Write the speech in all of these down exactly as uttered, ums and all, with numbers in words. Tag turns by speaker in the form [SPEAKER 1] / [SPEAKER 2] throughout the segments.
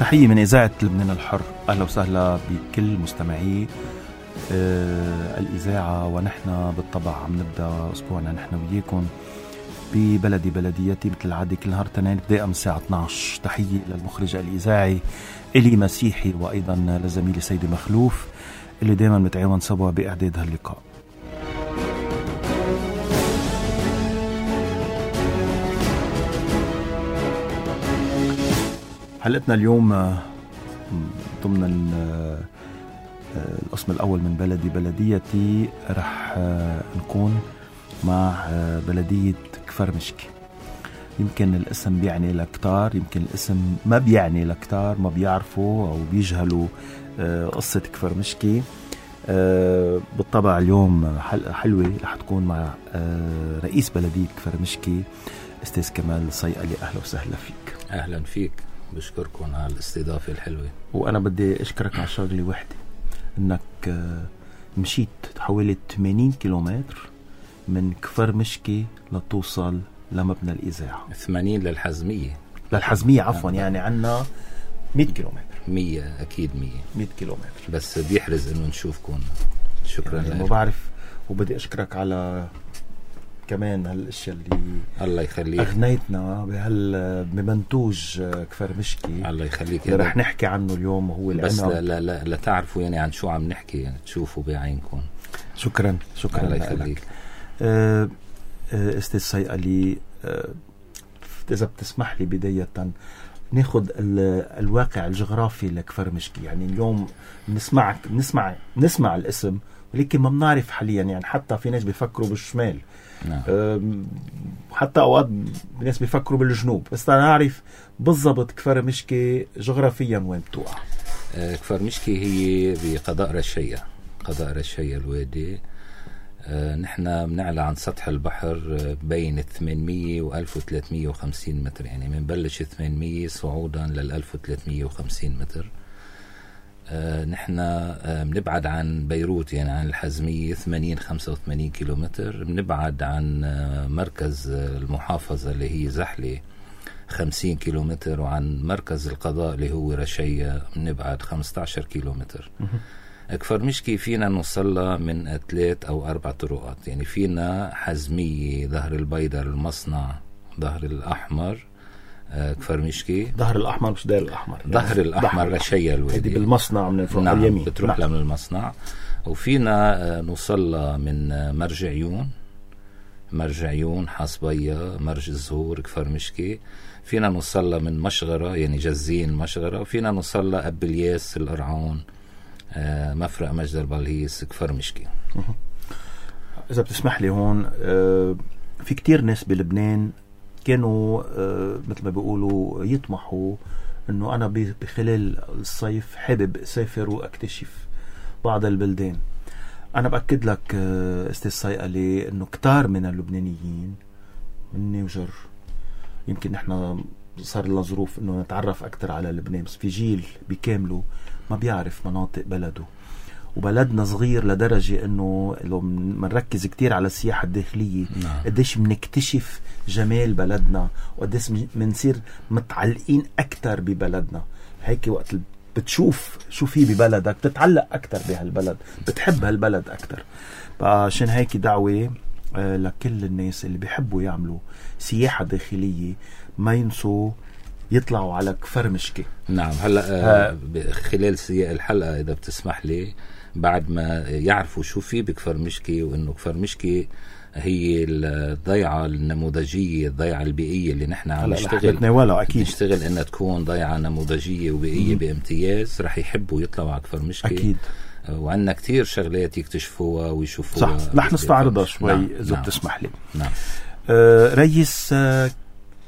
[SPEAKER 1] تحية من إذاعة لبنان الحر. أهلا وسهلا بكل مستمعي آه الإذاعة، ونحن بالطبع عم نبدأ أسبوعنا نحن وياكم ببلدي بلديتي مثل العادة كل نهار تنين بداية من الساعة اثني عشر. تحية للمخرج الإذاعي إلي مسيحي، وأيضا لزميلي سيدي مخلوف اللي دايما متعاون سوا بإعداد هاللقاء. حلقتنا اليوم ضمن القسم الأول من بلدي بلديتي رح نكون مع بلدية كفر مشكي. يمكن الاسم بيعني لكتار، يمكن الاسم ما بيعني لكتار، ما بيعرفوا أو بيجهلوا قصة كفر مشكي. بالطبع اليوم حلقة حلوة رح تكون مع رئيس بلدية كفر مشكي أستاذ كمال صيقلي. أهلا وسهلا فيك.
[SPEAKER 2] أهلا فيك، بشكركم على الاستضافة الحلوة.
[SPEAKER 1] وأنا بدي أشكرك على شغلة واحدة، إنك مشيت حوالي ثمانين كيلومتر من كفر مشكي لتوصل لمبنى الإذاعة.
[SPEAKER 2] ثمانين للحزمية
[SPEAKER 1] للحزمية عفوا، يعني عنا مئة كيلومتر.
[SPEAKER 2] مية أكيد مية
[SPEAKER 1] مئة كيلومتر،
[SPEAKER 2] بس بيحرز إنه نشوفكم. شكرا
[SPEAKER 1] يعني لك. بعرف، وبدي أشكرك على كمان هالاشياء اللي
[SPEAKER 2] الله يخليك
[SPEAKER 1] اغنيتنا بهال بمنتوج كفر مشكي.
[SPEAKER 2] الله يخليك.
[SPEAKER 1] اللي رح نحكي عنه اليوم هو العنب.
[SPEAKER 2] بس لا لا لا, لا تعرفوا يعني عن شو عم نحكي، يعني تشوفوا بعينكم.
[SPEAKER 1] شكرا شكرا
[SPEAKER 2] الله يخليك.
[SPEAKER 1] أه استاذ صيقلي، أه اذا بتسمح لي بداية ناخد الواقع الجغرافي لكفر مشكي. يعني اليوم بنسمعك بنسمع بنسمع الاسم، ولكن ما بنعرف حاليا، يعني حتى في ناس بيفكروا بالشمال.
[SPEAKER 2] نعم.
[SPEAKER 1] حتى أوقات ناس بيفكروا بالجنوب، بس أنا أعرف بالضبط كفر مشكي جغرافيا وين بتوقع.
[SPEAKER 2] أه كفر مشكي هي بقضاء رشية، قضاء رشية الوادي. أه نحن بنعلى عن سطح البحر بين ثمانمية وألف وثلاثمية وخمسين متر، يعني منبلش ثمانمية صعودا للألف وثلاثمية وخمسين متر. آه نحن آه بنبعد عن بيروت، يعني عن الحزمية ثمانين خمسة وثمانين كيلومتر. بنبعد عن آه مركز آه المحافظة اللي هي زحلة خمسين كيلومتر، وعن مركز القضاء اللي هو رشية بنبعد خمسة عشر كيلومتر. كفر مشكي فينا نوصلها من ثلاث أو أربع طرقات، يعني فينا حزمية، ظهر البيضر، المصنع، ظهر الأحمر، كفر مشكي.
[SPEAKER 1] ظهر الأحمر مش داير الأحمر،
[SPEAKER 2] ظهر يعني الأحمر رشية الوادي.
[SPEAKER 1] هذه بالمصنع من الفوق.
[SPEAKER 2] نعم،
[SPEAKER 1] اليمين
[SPEAKER 2] بتروح نعم. لها من المصنع. وفينا نوصل من مرج عيون، مرج عيون، حصبية، مرج الزهور، كفر مشكي. فينا نوصل من مشغرة، يعني جزين مشغرة. وفينا نوصل أب الياس، القرعون، مفرق مجد البلهيس، كفر مشكي.
[SPEAKER 1] إذا بتسمح لي هون، في كتير ناس بلبنان كانوا مثل ما بيقولوا يطمحوا انه انا بخلال الصيف حابب اسافر واكتشف بعض البلدان. انا باكد لك استاذ صيقلي انه كتار من اللبنانيين مني وجر، يمكن نحن صار لنا ظروف انه نتعرف اكثر على لبنان، بس في جيل بكامله ما بيعرف مناطق بلده. وبلدنا صغير لدرجة انه لو منركز كتير على السياحة الداخلية
[SPEAKER 2] نعم.
[SPEAKER 1] قديش منكتشف جمال بلدنا، وقديش منصير متعلقين اكتر ببلدنا. هيك وقت بتشوف شو في ببلدك بتتعلق اكتر بهالبلد، بتحب هالبلد اكتر. فعشان هيك دعوة لكل الناس اللي بيحبوا يعملوا سياحة داخلية ما ينسوا يطلعوا على كفر مشكي.
[SPEAKER 2] نعم. هلا خلال سياق الحلقة إذا بتسمح لي، بعد ما يعرفوا شو في بكفر مشكي، وإنه كفر مشكي هي الضيعة النموذجية، الضيعة البيئية اللي نحن عم نشتغل
[SPEAKER 1] أكيد
[SPEAKER 2] نشتغل إنها تكون ضيعة نموذجية وبيئية بامتياز. رح يحبوا يطلعوا على كفر مشكي
[SPEAKER 1] أكيد،
[SPEAKER 2] وعندنا كتير شغلات يكتشفوها ويشوفوها.
[SPEAKER 1] صح، رح نستعرضها شوي.
[SPEAKER 2] نعم.
[SPEAKER 1] إذا
[SPEAKER 2] نعم.
[SPEAKER 1] بتسمح لي.
[SPEAKER 2] نعم.
[SPEAKER 1] آه ريس، آه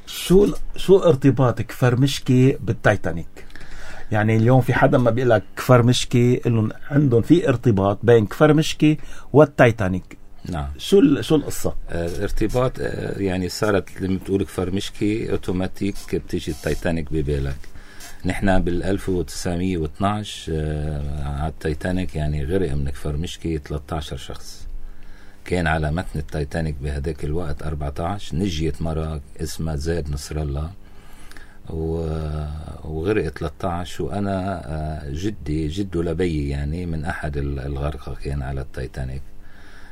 [SPEAKER 1] شو شو ارتباط كفر مشكي بالتايتانيك؟ يعني اليوم في حدا ما بيقول لك كفر مشكي إنه عندهم في ارتباط بين كفر مشكي والتايتانيك.
[SPEAKER 2] نعم.
[SPEAKER 1] شو شو القصة؟
[SPEAKER 2] آه ارتباط، آه يعني صارت لما بتقول كفر مشكي اوتوماتيك بتيجي التايتانيك ببالك. نحن بالألف وتسعمية واثناعش آه على التايتانيك، يعني غرق من كفر مشكي ثلاثة عشر شخص. كان على متن التايتانيك بهداك الوقت أربعة عشر. نجيت مرة اسمها زاد نصر الله، وغرق ثلاثة عشر. وأنا جدي جده لبي يعني من أحد الغرقى كان على التايتانيك.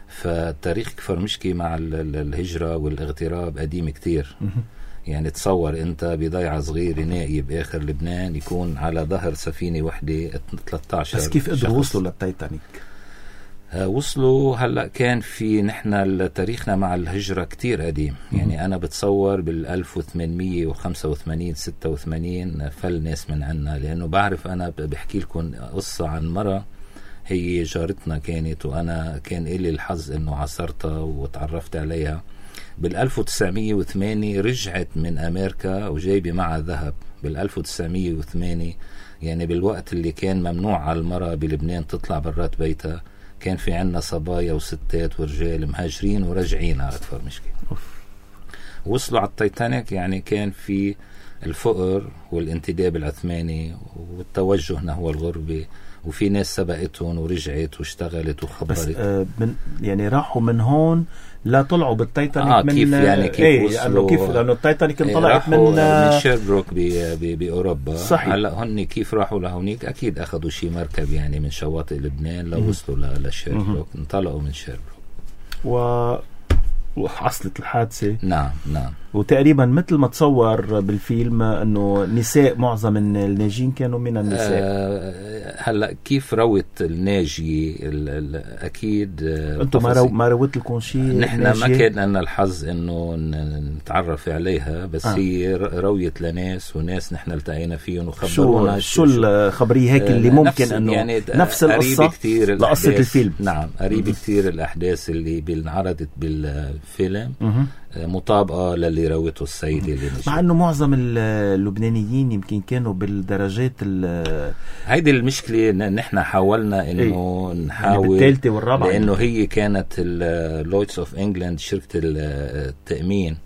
[SPEAKER 2] فتاريخ كفر مشكي مع الهجرة والاغتراب قديم كتير. يعني تصور أنت بضيعة صغير نائي بآخر لبنان يكون على ظهر سفينة وحدة ثلاثة عشر.
[SPEAKER 1] بس كيف قدروا وصلوا للتايتانيك؟
[SPEAKER 2] وصلوا هلأ كان في نحن تاريخنا مع الهجرة كتير قديم. يعني أنا بتصور بالألف وثمانمية وخمسة وثمانين ستة وثمانين فل ناس من عنا. لأنه بعرف أنا بحكي لكم قصة عن مرة هي جارتنا كانت، وأنا كان إلي الحظ أنه عصرتها وتعرفت عليها. بالألف وتسعمية وثمانية رجعت من أمريكا وجايبة معها ذهب. بالألف وتسعمية وثمانية يعني بالوقت اللي كان ممنوع على المرأة بلبنان تطلع برات بيتها، كان في عنا صبايا وستات ورجال مهاجرين وراجعين على أكثر مشكلة. وصلوا على التايتانيك. يعني كان في الفقر والانتداب العثماني والتوجه نحو الغربة، وفي ناس سبقتهم ورجعت واشتغلت وخبرت.
[SPEAKER 1] بس آه من يعني راحوا من هون لا طلعوا بالتايتانيك
[SPEAKER 2] آه
[SPEAKER 1] من
[SPEAKER 2] كيف يعني كيف
[SPEAKER 1] ايه
[SPEAKER 2] وصلوا؟
[SPEAKER 1] كيف لأنه التايتانيك انطلعت من
[SPEAKER 2] من شيربروك بأوروبا.
[SPEAKER 1] صحيح.
[SPEAKER 2] هلا هن كيف راحوا لهونيك؟ أكيد أخذوا شي مركب يعني من شواطئ لبنان لو وصلوا لشيربروك. انطلقوا من شيربروك و
[SPEAKER 1] وحصلت الحادثة.
[SPEAKER 2] نعم نعم.
[SPEAKER 1] وتقريبا مثل ما تصور بالفيلم انه نساء، معظم الناجين كانوا من النساء.
[SPEAKER 2] أه هلا كيف روت الناجي اكيد
[SPEAKER 1] انتم ما, رو ما روت لكم شيء؟
[SPEAKER 2] نحن ما كان لنا الحظ انه نتعرف عليها، بس آه. هي رويت لناس وناس نحن التقينا فيهم وخبرونا
[SPEAKER 1] شو شو الخبريه هيك اللي ممكن انه يعني نفس القصه
[SPEAKER 2] كتير
[SPEAKER 1] لقصه الفيلم.
[SPEAKER 2] نعم قريب كتير الاحداث اللي بنعرضت بالفيلم مطابقة للي روته السيدة اللي نجي.
[SPEAKER 1] مع أنه معظم اللبنانيين يمكن كانوا بالدرجات
[SPEAKER 2] هيدي المشكلة. نحن حاولنا إنه
[SPEAKER 1] ايه؟
[SPEAKER 2] نحاول
[SPEAKER 1] يعني بالثالثة والرابعة،
[SPEAKER 2] لأنه هي كانت اللويدز أوف إنجلاند شركة التأمين،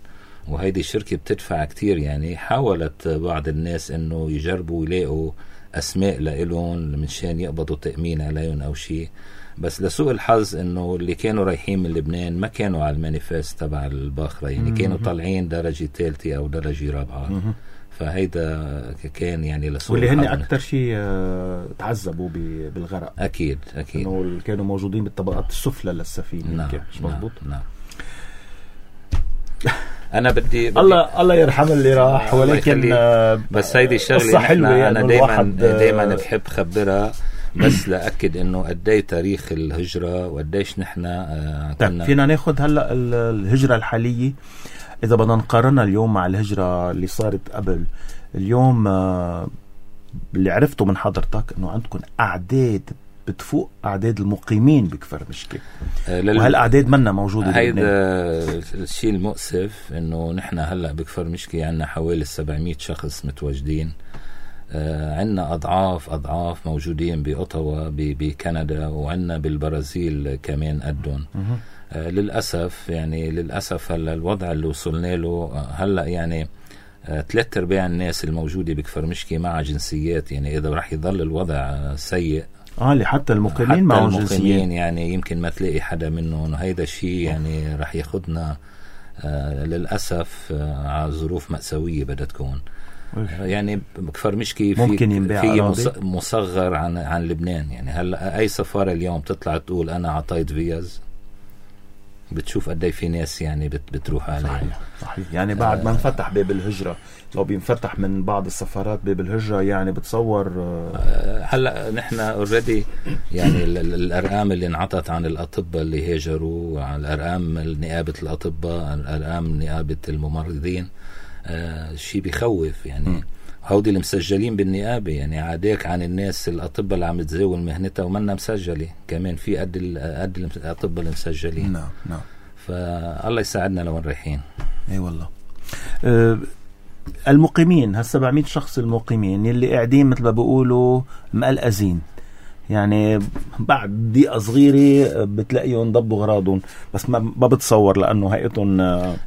[SPEAKER 2] وهيدي الشركة بتدفع كتير. يعني حاولت بعض الناس إنه يجربوا يلاقوا أسماء لإلهم منشان يقبضوا تأمين عليهم أو شيء، بس لسوء الحظ انه اللي كانوا رايحين من لبنان ما كانوا على المانيفست تبع الباخرة. يعني كانوا طالعين درجة ثالثة او درجة رابعة. فهيدا كان يعني لسوء
[SPEAKER 1] واللي هن اكثر شيء تعذبوا بالغرق.
[SPEAKER 2] اكيد اكيد
[SPEAKER 1] انه كانوا موجودين بالطبقات السفلى للسفينة.
[SPEAKER 2] نعم
[SPEAKER 1] مش مزبوط.
[SPEAKER 2] نعم, نعم. انا بدي, بدي
[SPEAKER 1] الله الله يرحم اللي راح. ولكن
[SPEAKER 2] بس هيدي الشغله
[SPEAKER 1] حلوه.
[SPEAKER 2] انا دائما دائما بحب خبرها بس لأكد انه قدي تاريخ الهجرة وقديش نحن آه
[SPEAKER 1] كنا. فينا ناخد هلا الهجرة الحالية اذا بدنا نقارنها اليوم مع الهجرة اللي صارت قبل. اليوم آه اللي عرفته من حضرتك انه عندكم اعداد بتفوق اعداد المقيمين بكفر مشكلة. آه لل... وهالاعداد منا موجودة.
[SPEAKER 2] هيدا الشيء المؤسف انه نحن هلا بكفر مشكلة عنا حوالي سبعمية شخص متواجدين. آه عنا أضعاف أضعاف موجودين بأوتاوا بكندا، وعنا بالبرازيل كمان قدهم. آه للأسف يعني للأسف هلا الوضع اللي وصلنا له هلا يعني آه ثلاث أرباع الناس الموجودة بكفر مشكي مع جنسيات. يعني إذا رح يضل الوضع سيء
[SPEAKER 1] اه حتى المقيمين معهم جنسيات
[SPEAKER 2] يعني يمكن ما تلاقي حدا منهم. وهيدا الشيء يعني رح ياخدنا آه للأسف آه على ظروف مأساوية بدها تكون. يعني بكفر مشكي في في مصغر عن عن لبنان. يعني هلا اي سفاره اليوم تطلع تقول انا عطيت فيز، بتشوف قد ايه في ناس يعني بت بتروح عليه.
[SPEAKER 1] صحيح صحيح. يعني بعد آه ما انفتح باب الهجره، لو بينفتح من بعض السفارات باب الهجره يعني بتصور
[SPEAKER 2] آه هلا نحن اوريدي يعني الارقام اللي انعطت عن الاطباء اللي هاجروا، عن الارقام نيابه الاطباء، عن الارقام نيابه الممرضين، آه شيء بيخوف. يعني م. هودي المسجلين بالنيابة يعني عاديك عن الناس الأطباء اللي عم تزاول مهنتها ومنا مسجلة كمان في قد قد الأطباء اللي مسجلين.
[SPEAKER 1] نعم نعم.
[SPEAKER 2] فالله يساعدنا لو رايحين.
[SPEAKER 1] اي والله. أه المقيمين هالسبعمية شخص المقيمين اللي قاعدين مثل ما بيقولوا مقلقزين، يعني بعد دقيقة صغيرة بتلاقيهم ضبوا غراضهم، بس ما ما بتصور لأنه هيئتهم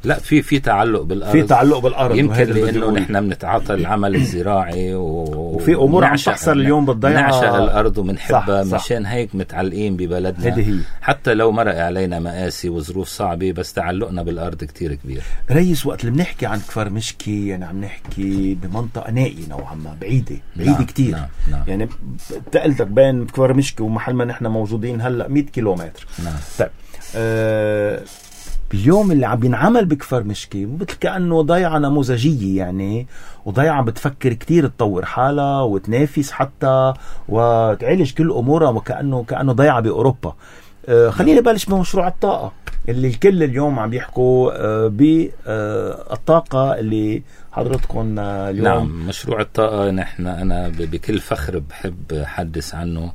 [SPEAKER 2] لا في في تعلق بالأرض،
[SPEAKER 1] في تعلق بالأرض،
[SPEAKER 2] يمكن لأنه نحن بنتعاطى العمل الزراعي و...
[SPEAKER 1] وفي أمور عم تحصل اليوم بالضيعة،
[SPEAKER 2] نعشق الأرض ومنحبها، مشان هيك متعلقين ببلدنا.
[SPEAKER 1] هي.
[SPEAKER 2] حتى لو مرق علينا مآسي وظروف صعبة، بس تعلقنا بالأرض كتير كبير.
[SPEAKER 1] ريس وقت اللي بنحكي عن كفر مشكي يعني عم نحكي بمنطقة نائية نوعا ما، بعيدة بعيدة نعم. كتير
[SPEAKER 2] نعم. نعم.
[SPEAKER 1] يعني تقلتك بين كفر مشكي ومحل ما نحن موجودين هلأ مية كيلومتر.
[SPEAKER 2] نعم.
[SPEAKER 1] طيب أه اليوم اللي عم بينعمل بكفر مشكي مثل كأنه ضيعة نموذجية يعني، وضيعة بتفكر كتير تطور حالها وتنافس حتى وتعالج كل أمورها، وكأنه كأنه ضيعة بأوروبا. أه خليني بلش بمشروع الطاقة اللي الكل اليوم عم يحكوا أه بالطاقة اللي حضرتكم اليوم.
[SPEAKER 2] نعم، مشروع الطاقة نحن أنا بكل فخر بحب حدث عنه،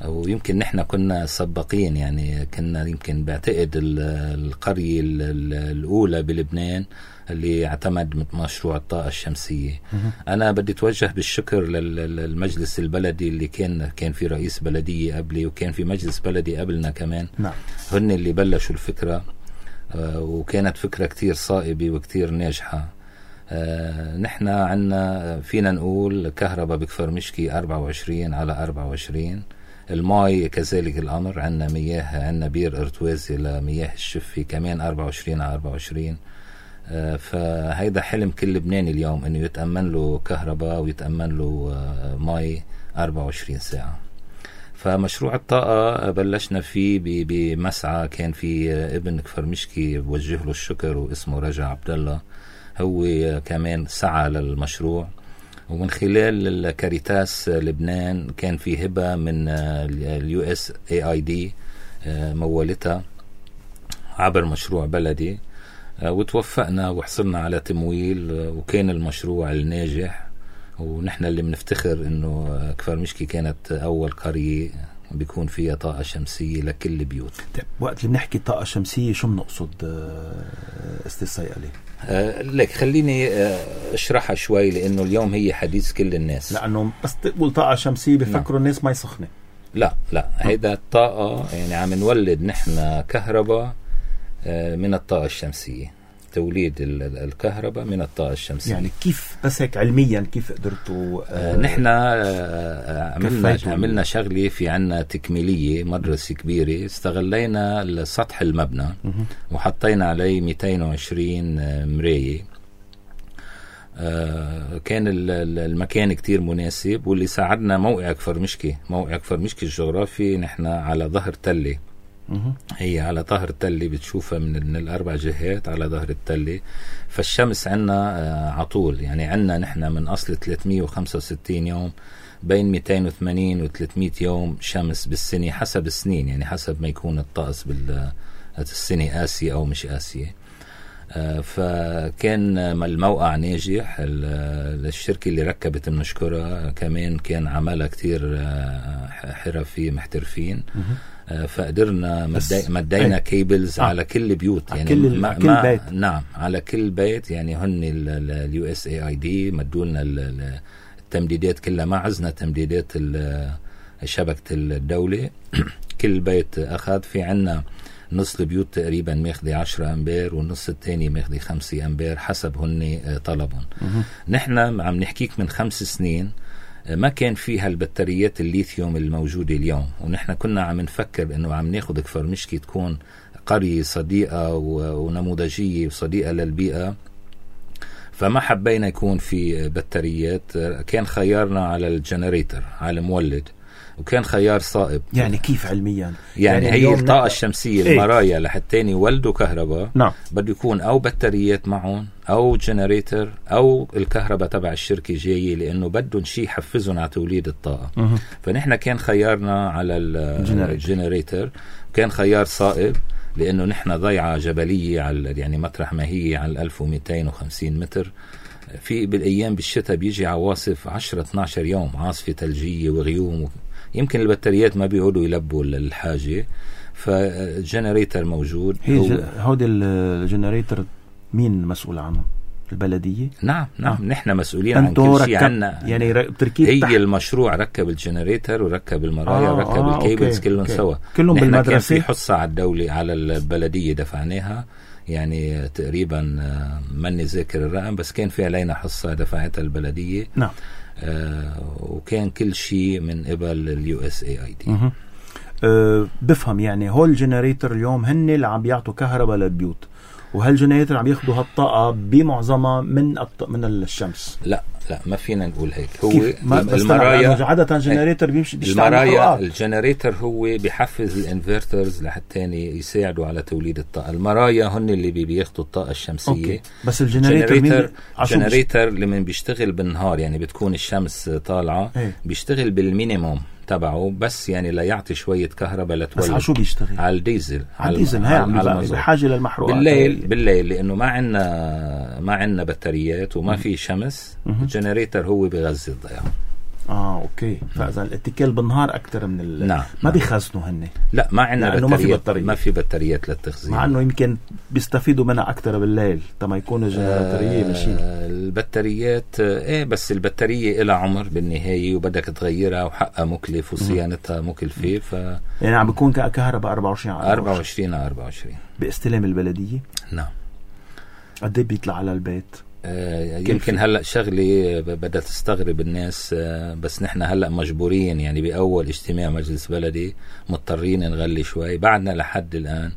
[SPEAKER 2] ويمكن نحن كنا سباقين يعني، كنا يمكن بعتقد القرية الأولى بلبنان اللي اعتمد مشروع الطاقة الشمسية. أنا بدي أتوجه بالشكر للمجلس البلدي اللي كان كان في رئيس بلدية قبلي، وكان في مجلس بلدي قبلنا كمان.
[SPEAKER 1] نعم.
[SPEAKER 2] هن اللي بلشوا الفكرة، وكانت فكرة كتير صائبة وكتير ناجحة. آه نحن عنا فينا نقول كهرباء بكفر مشكي أربعة وعشرين على أربعة وعشرين، الماء كذلك الأمر، عنا مياه، عنا بير ارتوازي لمياه الشفي كمان أربعة وعشرين على أربعة وعشرين. آه فهيدا حلم كل لبناني اليوم، انه يتأمن له كهرباء ويتأمن له آه ماء أربعة وعشرين ساعة. فمشروع الطاقة بلشنا فيه بمسعى كان في ابن كفر مشكي بوجه له الشكر واسمه رجع عبد الله، هو كمان سعى للمشروع. ومن خلال الكاريتاس لبنان كان في هبة من اليو اس اي اي دي مولتها عبر مشروع بلدي، وتوفقنا وحصلنا على تمويل، وكان المشروع الناجح. ونحن اللي بنفتخر انه كفر مشكي كانت اول قرية بيكون فيها طاقة شمسية لكل البيوت.
[SPEAKER 1] وقت اللي بنحكي طاقة شمسية شو بنقصد استاذ صيقلي؟
[SPEAKER 2] آه لك خليني آه اشرحها شوي، لانه اليوم هي حديث كل الناس،
[SPEAKER 1] لانه بس تقول طاقة شمسية بفكروا الناس ما يسخنوا.
[SPEAKER 2] لا لا هيدا الطاقة يعني عم نولد نحن كهرباء آه من الطاقة الشمسية، توليد الكهرباء من الطاقة الشمسية.
[SPEAKER 1] يعني كيف بس هيك علميا كيف قدرتوا؟
[SPEAKER 2] آه نحن آه عملنا عملنا شغلة، في عنا تكميلية مدرسة كبيرة، استغلينا السطح المبنى وحطينا عليه مئتين وعشرين مراية. آه كان المكان كتير مناسب، واللي ساعدنا موقع كفر مشكي. موقع كفر مشكي الجغرافي نحن على ظهر تلة، هي على ظهر التلة بتشوفها من, من الأربع جهات على ظهر التلة. فالشمس عنا آه عطول، يعني عنا نحن من أصل ثلاثمية وخمسة وستين يوم، بين مئتين وثمانين و ثلاثمية يوم شمس بالسنة، حسب السنين يعني حسب ما يكون الطقس بالسنة قاسية أو مش قاسية. آه فكان الموقع ناجح. الشركة اللي ركبت بنشكرها، كمان كان عملها كتير آه حرفي محترفين. فقدرنا مدي مدينا كيبلز آه. على كل بيوت يعني
[SPEAKER 1] كل
[SPEAKER 2] ما
[SPEAKER 1] كل
[SPEAKER 2] ما
[SPEAKER 1] بيت.
[SPEAKER 2] نعم على كل بيت يعني. هن اليو اس اي اي دي مدولنا التمديدات كلها، ما عزنا تمديدات شبكة الدولة. كل بيت أخذ. في عنا نص البيوت تقريبا ماخذة عشرة أمبير، والنص الثاني ماخذة خمسة أمبير حسب هن طلبهم. نحن عم نحكيك من خمس سنين ما كان فيها البطاريات الليثيوم الموجودة اليوم، ونحن كنا عم نفكر انه عم ناخد كفر مشكي تكون قرية صديقة ونموذجية وصديقة للبيئة، فما حبينا يكون في بطاريات. كان خيارنا على الجنريتر، على المولد، وكان خيار صائب.
[SPEAKER 1] يعني كيف علميا؟
[SPEAKER 2] يعني, يعني هي الطاقة الشمسية ايه؟ المرايا لحتى يولدوا كهرباء
[SPEAKER 1] نعم.
[SPEAKER 2] بده يكون أو بطاريات معهم أو جنريتر أو الكهرباء تبع الشركة جاية، لأنه بدهم شيء يحفزهم على توليد الطاقة. مه. فنحن كان خيارنا على الجنريتر، كان خيار صائب لأنه نحن ضيعة جبلية على يعني مطرح ما هي على ألف ومئتين وخمسين متر. في بالأيام بالشتاء بيجي عواصف عشرة اثناشر يوم، عاصفة ثلجية وغيوم، يمكن البطاريات ما بيقعدوا يلبوا الحاجة. فالجنريتر موجود.
[SPEAKER 1] هي هودي الجنريتر مين مسؤول عنه؟ البلدية؟
[SPEAKER 2] نعم نعم
[SPEAKER 1] آه.
[SPEAKER 2] نحن مسؤولين عن كل شيء عنا.
[SPEAKER 1] يعني تركيب
[SPEAKER 2] هي
[SPEAKER 1] تحت.
[SPEAKER 2] المشروع ركب الجنريتر وركب المرايا
[SPEAKER 1] آه
[SPEAKER 2] وركب
[SPEAKER 1] آه
[SPEAKER 2] الكيبلز
[SPEAKER 1] أوكي.
[SPEAKER 2] كلهم
[SPEAKER 1] أوكي.
[SPEAKER 2] سوا.
[SPEAKER 1] كلهم
[SPEAKER 2] نحن
[SPEAKER 1] بالمدرسة.
[SPEAKER 2] كان في حصة على الدولة على البلدية دفعناها، يعني تقريبا ماني ذاكر الرقم، بس كان في علينا حصة دفعتها البلدية.
[SPEAKER 1] نعم.
[SPEAKER 2] آه وكان كل شيء من قبل اليو اس اي اي دي.
[SPEAKER 1] أه بفهم يعني هول الجنريتر اليوم هن اللي عم بيعطوا كهرباء للبيوت، وهالجنريتور عم ياخدوا هالطاقة بمعظمها من الط... من الشمس.
[SPEAKER 2] لا لا ما فينا نقول هيك. هو
[SPEAKER 1] المرايا عادة جنريتور بيمشي بيشتغل
[SPEAKER 2] المرايا الجنريتور هو بيحفز الانفرترز لحتى يساعدوا على توليد الطاقة. المرايا هن اللي بي بياخدوا الطاقة الشمسية.
[SPEAKER 1] أوكي. بس الجنريتور
[SPEAKER 2] الجنريتور لما بيشتغل بالنهار يعني بتكون الشمس طالعة
[SPEAKER 1] ايه؟
[SPEAKER 2] بيشتغل بالمينيموم تبعه، بس يعني لا يعطي شوية كهرباء لتولد.
[SPEAKER 1] بس على شو بيشتغل؟
[SPEAKER 2] على الديزل.
[SPEAKER 1] على الديزل. هاي عم بحاجة للمحروقات
[SPEAKER 2] بالليل هاي. بالليل لأنه ما عنا ما عنا بطاريات وما في شمس. الجنريتور هو بيغذي الضياع.
[SPEAKER 1] اه اوكي. فاذا الاتكال بالنهار اكثر من ال...
[SPEAKER 2] نعم.
[SPEAKER 1] ما
[SPEAKER 2] نعم.
[SPEAKER 1] بيخزنوا هن.
[SPEAKER 2] لا ما عندنا بطاريات.
[SPEAKER 1] ما في بطاريات.
[SPEAKER 2] ما في بطاريات للتخزين،
[SPEAKER 1] مع انه يمكن بيستفيدوا منها اكثر بالليل تما يكونوا الجنراتوريه ماشي.
[SPEAKER 2] آه البطاريات ايه، بس البطاريه لها عمر بالنهايه وبدك تغيرها وحقها مكلف وصيانتها مكلفه. ف
[SPEAKER 1] يعني عم بيكون كهرباء أربعة وعشرين على
[SPEAKER 2] أربعة وعشرين على أربعة وعشرين
[SPEAKER 1] باستلام البلديه.
[SPEAKER 2] نعم.
[SPEAKER 1] قد ايه بيطلع على البيت؟
[SPEAKER 2] آه يمكن هلأ شغلة بدها تستغرب الناس، آه بس نحن هلأ مجبورين يعني بأول اجتماع مجلس بلدي مضطرين نغلي شوي. بعدنا لحد الآن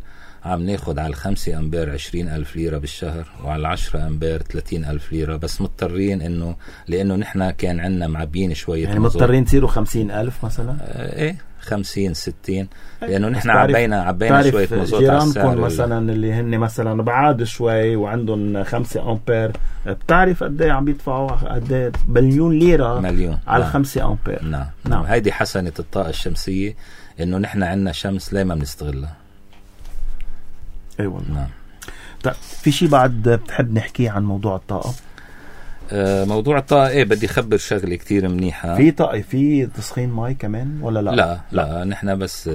[SPEAKER 2] عم ناخد على الخمسة أمبير عشرين ألف ليرة بالشهر، وعلى العشرة أمبير ثلاثين ألف ليرة، بس مضطرين إنه لأنه نحن كان عنا معبين شوية.
[SPEAKER 1] يعني مضطرين تصيروا خمسين ألف مثلا؟
[SPEAKER 2] آه ايه خمسين ستين، لأنه نحن عبينا عبينا شوية مزوت على السعر.
[SPEAKER 1] جيرانكم مثلا اللي هن مثلا بعاد شوي وعندهم خمسة أمبير، بتعرف قد ايه عم بيدفعوا؟ قد ايه؟ مليون ليرة
[SPEAKER 2] مليون
[SPEAKER 1] على
[SPEAKER 2] نعم.
[SPEAKER 1] خمسة أمبير.
[SPEAKER 2] نعم.
[SPEAKER 1] نعم.
[SPEAKER 2] نعم. هيدي حسنة الطاقة الشمسية، إنه نحن عنا شمس لا ما بنستغلها.
[SPEAKER 1] اي أيوة والله.
[SPEAKER 2] نعم.
[SPEAKER 1] طيب في شيء بعد بتحب نحكي عن موضوع الطاقة؟
[SPEAKER 2] آه موضوع الطاقة ايه بدي خبر شغلة كتير منيحة.
[SPEAKER 1] في طاقة في تسخين ماي كمان ولا لا؟
[SPEAKER 2] لا لا نحن بس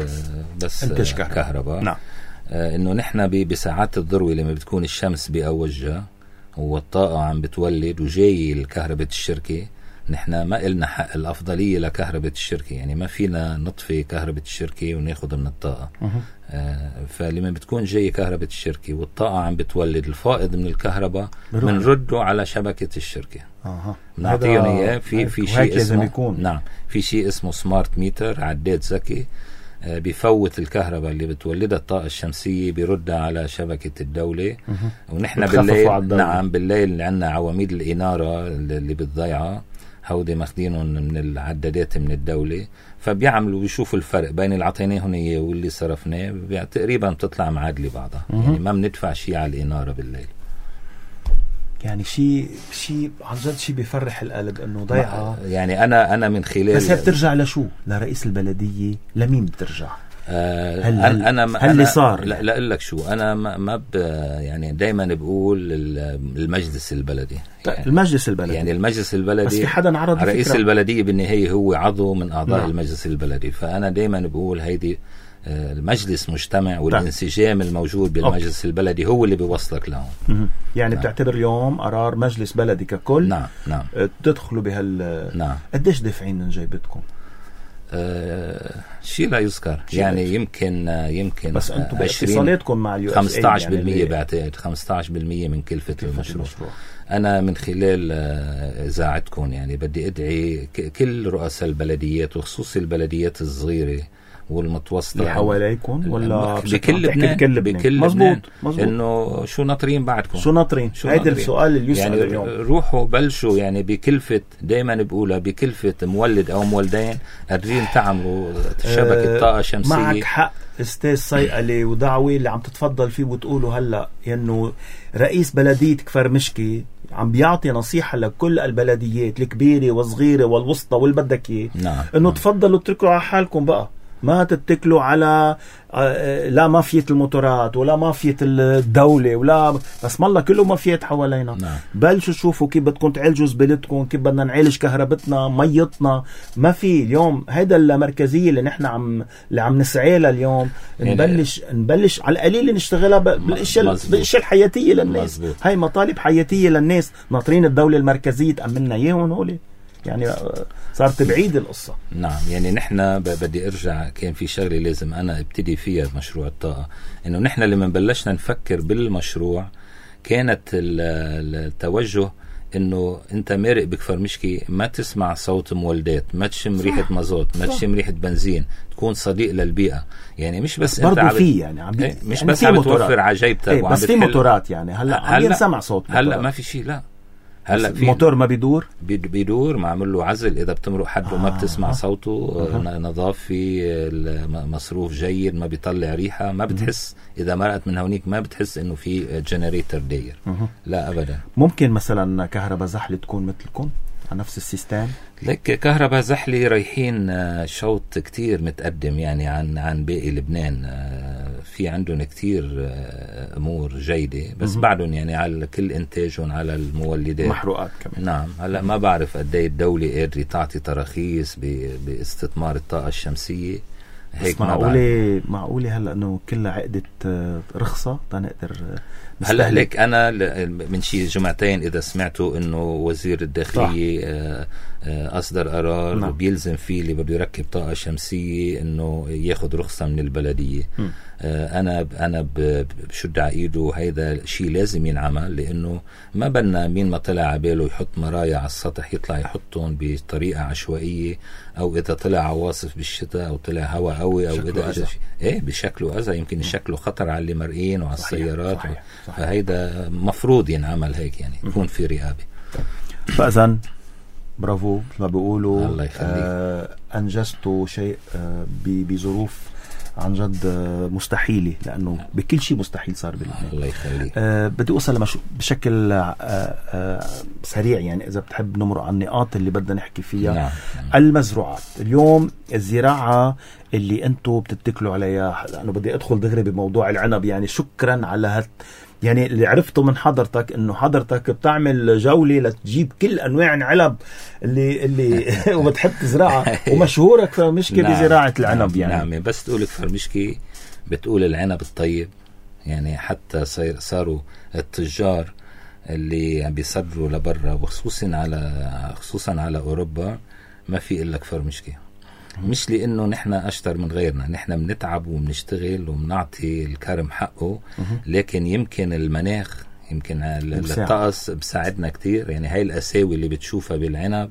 [SPEAKER 2] بس
[SPEAKER 1] كهرباء,
[SPEAKER 2] كهرباء.
[SPEAKER 1] نعم.
[SPEAKER 2] آه انه نحن بساعات الذروة لما بتكون الشمس بأوجها والطاقة عم بتولد وجاي الكهرباء الشركة، نحن ما إلنا حق الأفضلية لكهرباء الشركة، يعني ما فينا نطفي كهرباء الشركة وناخد من الطاقة. آه فلما بتكون جاي كهرباء الشركة والطاقة عم بتولد، الفائض من الكهرباء بنرده على شبكة الشركة.
[SPEAKER 1] اها
[SPEAKER 2] بنعطيهم اياه في في شيء اسمه
[SPEAKER 1] يكون.
[SPEAKER 2] نعم في شيء اسمه سمارت ميتر، عداد ذكي آه بيفوت الكهرباء اللي بتولدها الطاقة الشمسية بيردها على شبكة الدولة. ونحن بالليل نعم بالليل عندنا عواميد الإنارة اللي بتضيعها، هودي ماخدينهم من العدادات من الدولة، فبيعملوا بيشوفوا الفرق بين اللي عطيناهم اياه واللي صرفناه، تقريبا بتطلع معادلة بعضها. يعني ما بندفع شيء على الإنارة بالليل.
[SPEAKER 1] يعني شيء شيء عن جد شيء بيفرح القلب انه ضيعه.
[SPEAKER 2] يعني انا انا من خلال
[SPEAKER 1] بس هي بترجع لشو؟ لرئيس البلدية؟ لمين بترجع؟
[SPEAKER 2] آه هل انا انا
[SPEAKER 1] هل اللي صار
[SPEAKER 2] لا لا اقول لك شو، انا ما, ما يعني دايما بقول المجلس البلدي.
[SPEAKER 1] يعني المجلس البلدي
[SPEAKER 2] يعني المجلس البلدي
[SPEAKER 1] بس في حدا عرض
[SPEAKER 2] رئيس
[SPEAKER 1] فكرة.
[SPEAKER 2] البلدية بالنهاية هو عضو من اعضاء نعم. المجلس البلدي، فانا دايما بقول هيدي المجلس مجتمع والانسجام الموجود بالمجلس أوكي. البلدي هو اللي بيوصلك لهم.
[SPEAKER 1] يعني نعم. بتعتبر اليوم قرار مجلس بلدي ككل
[SPEAKER 2] نعم نعم
[SPEAKER 1] تدخلوا بهال
[SPEAKER 2] نعم.
[SPEAKER 1] قديش دافعين من جيبتكم؟
[SPEAKER 2] آه شيء لا يذكر يعني لا. يمكن يمكن
[SPEAKER 1] بس انتم باتصالاتكم مع اليو اس اي
[SPEAKER 2] خمسة عشر بالمية يعني بعتقد خمسة عشر بالمية من كلفة المشروع. المشروع انا من خلال اذاعتكم يعني بدي ادعي كل رؤساء البلديات وخصوصي البلديات الصغيره والمتوسطة
[SPEAKER 1] اللي حواليكم ولا
[SPEAKER 2] بكل لبنان
[SPEAKER 1] بكل لبنان بكل مزبوط مزبوط
[SPEAKER 2] انه شو ناطرين بعدكم
[SPEAKER 1] شو ناطرين هيدا السؤال اللي يسأل
[SPEAKER 2] يعني
[SPEAKER 1] اليوم.
[SPEAKER 2] روحوا بلشوا يعني بكلفة دايما بقولها بكلفة مولد او مولدين قادرين تعملوا شبكة طاقة شمسية.
[SPEAKER 1] معك حق استاذ صيقلي ودعوي اللي عم تتفضل فيه وتقولوا هلا انه رئيس بلدية كفر مشكي عم بيعطي نصيحة لكل البلديات الكبيرة والصغيرة والوسطى والبدك اياه
[SPEAKER 2] نعم.
[SPEAKER 1] انه تفضلوا اتركوا على حالكم بقى ما تتكلوا على لا مافية الموتورات ولا مافية الدولة ولا بس ما الله كله مافيات حوالينا.
[SPEAKER 2] نعم.
[SPEAKER 1] بلشوا شوفوا كيف بدكم تعالجوا زبالتكم، كيف بدنا نعالج كهربتنا ميتنا. ما في اليوم هيدا المركزية اللي نحن عم اللي عم نسعى لها اليوم. نبلش نبلش على القليل نشتغلها بالاشياء بالاشياء الحياتية للناس. مزبوط. هاي مطالب حياتية للناس، ناطرين الدولة المركزية تأمننا اياهم هولي. يعني صارت بعيد القصة.
[SPEAKER 2] نعم. يعني نحن بدي ارجع، كان في شغلة لازم انا ابتدي فيها مشروع الطاقة، انه نحن لما بلشنا نفكر بالمشروع كانت التوجه انه انت مارق بكفر مشكي ما تسمع صوت مولدات، ما تشم ريحة مازوت، ما تشم ريحة بنزين، تكون صديق للبيئة. يعني مش بس انت
[SPEAKER 1] عم في يعني عم
[SPEAKER 2] ايه مش
[SPEAKER 1] يعني
[SPEAKER 2] بس عم توفر عجيبتك
[SPEAKER 1] ايه بس في موتورات. يعني هلا عم ينسمع صوت موتورات.
[SPEAKER 2] هلا ما في شيء. لا هلا في
[SPEAKER 1] موتور ما بيدور
[SPEAKER 2] بيدور معمول له عزل، اذا بتمرق حده آه. ما بتسمع آه. صوته آه. نظافي، مصروف جيد، ما بيطلع ريحه، ما بتحس اذا مرقت من هونيك ما بتحس انه في جنريتر داير. آه. لا ابدا.
[SPEAKER 1] ممكن مثلا كهرباء زحله تكون مثلكم على نفس السيستم؟
[SPEAKER 2] لك كهرباء زحلي رايحين شوط كتير متقدم يعني عن عن باقي لبنان. في عندهم كتير امور جيده، بس بعدهم يعني على كل انتاجهم على المولدات
[SPEAKER 1] محروقات كمان.
[SPEAKER 2] نعم. هلا ما بعرف قد ايه الدوله قادره تعطي تراخيص باستثمار الطاقه الشمسيه.
[SPEAKER 1] هيك معقوله معقوله هلا انه كلها عقده رخصه تنقدر.
[SPEAKER 2] هلا لك انا من شي جمعتين اذا سمعتوا انه وزير الداخليه آه آه اصدر قرار نعم. بيلزم فيه اللي بده يركب طاقه شمسيه انه ياخذ رخصه من البلديه. آه انا انا بشد على ايده، هيدا شيء لازم ينعمل، لانه ما بدنا مين ما طلع على باله يحط مرايا على السطح يطلع يحطهم بطريقه عشوائيه، او اذا طلع عواصف بالشتاء او طلع هواء قوي او اذا اجى ايه بشكله اذى يمكن يشكله خطر على اللي مرئين وعلى صحيح. السيارات صحيح. صحيح. فهيدا مفروض ينعمل هيك، يعني يكون في رقابه.
[SPEAKER 1] فاذا برافو ما بيقولوا.
[SPEAKER 2] الله يخليك.
[SPEAKER 1] آه انجزتوا شيء آه بظروف عن جد مستحيلة، لأنه بكل شيء مستحيل صار بلبنان.
[SPEAKER 2] الله يخليك.
[SPEAKER 1] أه بدي أوصل لمش... بشكل أه أه سريع، يعني إذا بتحب نمرق على النقاط اللي بدنا نحكي فيها.
[SPEAKER 2] نعم.
[SPEAKER 1] المزروعات اليوم، الزراعة اللي أنتوا بتتكلوا عليها، لأنه بدي أدخل دغري بموضوع العنب. يعني شكرا على هت يعني اللي عرفته من حضرتك انه حضرتك بتعمل جولة لتجيب كل انواع العنب اللي اللي وبتحب تزرعها، ومشهورة كفر مشكي نعم. بزراعة العنب. يعني
[SPEAKER 2] نعم. بس تقول كفر مشكي بتقول العنب الطيب. يعني حتى صاروا التجار اللي عم بيصدروا لبرا وخصوصا على خصوصا على اوروبا ما في الا كفر مشكي. مش لانه نحن اشطر من غيرنا، نحن بنتعب وبنشتغل وبنعطي الكرم حقه، لكن يمكن المناخ يمكن الطقس بساعدنا كتير. يعني هاي الاساوي اللي بتشوفها بالعنب،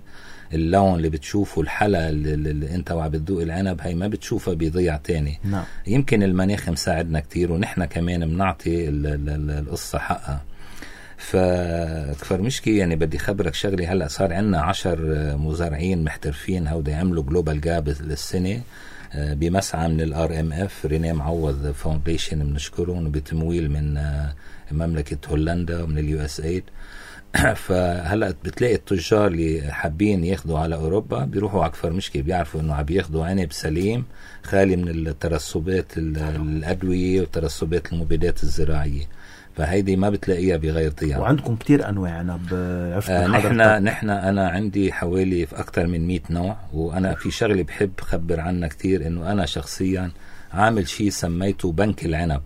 [SPEAKER 2] اللون اللي بتشوفه، الحلا اللي, اللي انت وعم بتذوق العنب، هاي ما بتشوفها بضيع تاني.
[SPEAKER 1] نعم.
[SPEAKER 2] يمكن المناخ مساعدنا كتير، ونحن كمان بنعطي القصة حقها. فكفر مشكي يعني بدي خبرك شغلي. هلأ صار عنا عشر مزارعين محترفين هودا يعملوا جلوبال جاب للسنة بمسعى من الار ام اف رينيه معوض فاونديشن، بنشكرهم، بتمويل من مملكة هولندا ومن اليو اس ايد. فهلأ بتلاقي التجار اللي حابين ياخدوا على اوروبا بيروحوا على كفر مشكي، بيعرفوا انه عم بياخدوا عنب سليم خالي من الترسبات الادوية وترسبات المبيدات الزراعية. فهيدي ما بتلاقيها بغير ضياع.
[SPEAKER 1] وعندكم كتير انواع عنب.
[SPEAKER 2] آه نحن نحن انا عندي حوالي في اكثر من مئة نوع. وانا في شغله بحب خبر عنها كتير، انه انا شخصيا عامل شيء سميته بنك العنب.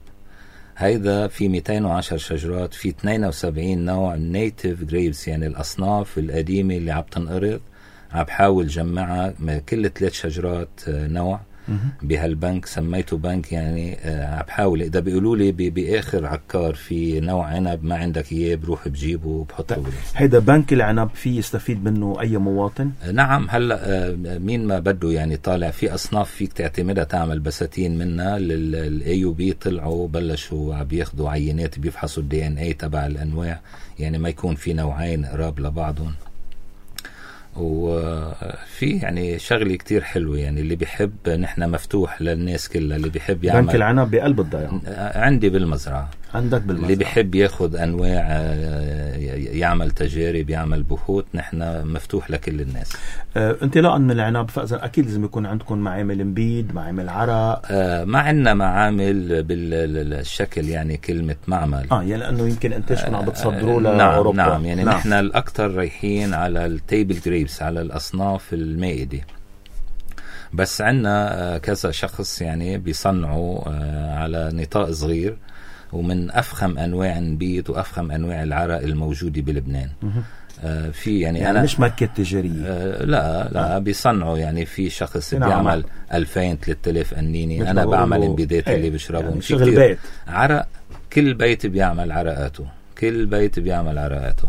[SPEAKER 2] هيدا في مئتين وعشرة شجرات، في اثنين وسبعين نوع نيتيف جريبس، يعني الاصناف القديمه اللي عم تنقرض عم بحاول جمعها كل ثلاث شجرات نوع بهالبنك. سميته بنك يعني عم بحاول. اذا بيقولوا لي باخر عكار في نوع عنب ما عندك اياه بروح بجيبه وبحطه.
[SPEAKER 1] هيدا بنك العنب في يستفيد منه اي مواطن؟
[SPEAKER 2] نعم. هلا مين ما بده يعني طالع في اصناف فيك تعتمدها تعمل بساتين منها. للاي يو بي طلعوا بلشوا عم بياخذوا عينات بيفحصوا الدي ان اي تبع الانواع، يعني ما يكون في نوعين قراب لبعضهم. وفي يعني شغلة كتير حلوة، يعني اللي بيحب نحن مفتوح للناس كلها، اللي بيحب يعمل.
[SPEAKER 1] بنك العنب بقلب الضيعة
[SPEAKER 2] عندي بالمزرعة.
[SPEAKER 1] عندك بالمزرعة.
[SPEAKER 2] اللي بيحب ياخد أنواع يعمل تجارب يعمل بحوث، نحن مفتوح لكل الناس.
[SPEAKER 1] آه، انطلاقا من العنب فإذا أكيد لازم يكون عندكم معامل مبيد، معامل عرق.
[SPEAKER 2] آه ما عندنا معامل بالشكل يعني كلمة معمل
[SPEAKER 1] اه يعني لأنه يمكن انتاجكم عم بتصدروا
[SPEAKER 2] آه
[SPEAKER 1] لأوروبا.
[SPEAKER 2] نعم نعم يعني
[SPEAKER 1] نعم.
[SPEAKER 2] نحن الأكثر رايحين على التيبل جريبس، على الأصناف المائدة. بس عندنا كذا شخص يعني بيصنعوا على نطاق صغير ومن أفخم أنواع النبيت وأفخم أنواع العرق الموجودة بلبنان. آه في يعني,
[SPEAKER 1] يعني
[SPEAKER 2] أنا
[SPEAKER 1] مش ماركة تجارية.
[SPEAKER 2] آه لا لا آه. بيصنعوا يعني في شخص
[SPEAKER 1] نعم.
[SPEAKER 2] بيعمل ألفين ثلاثة آلاف قنينة، أنا بعمل انبيدات اللي بشربهم
[SPEAKER 1] يعني شغل بيت.
[SPEAKER 2] عرق كل بيت بيعمل عرقاته، كل بيت بيعمل عرقاته.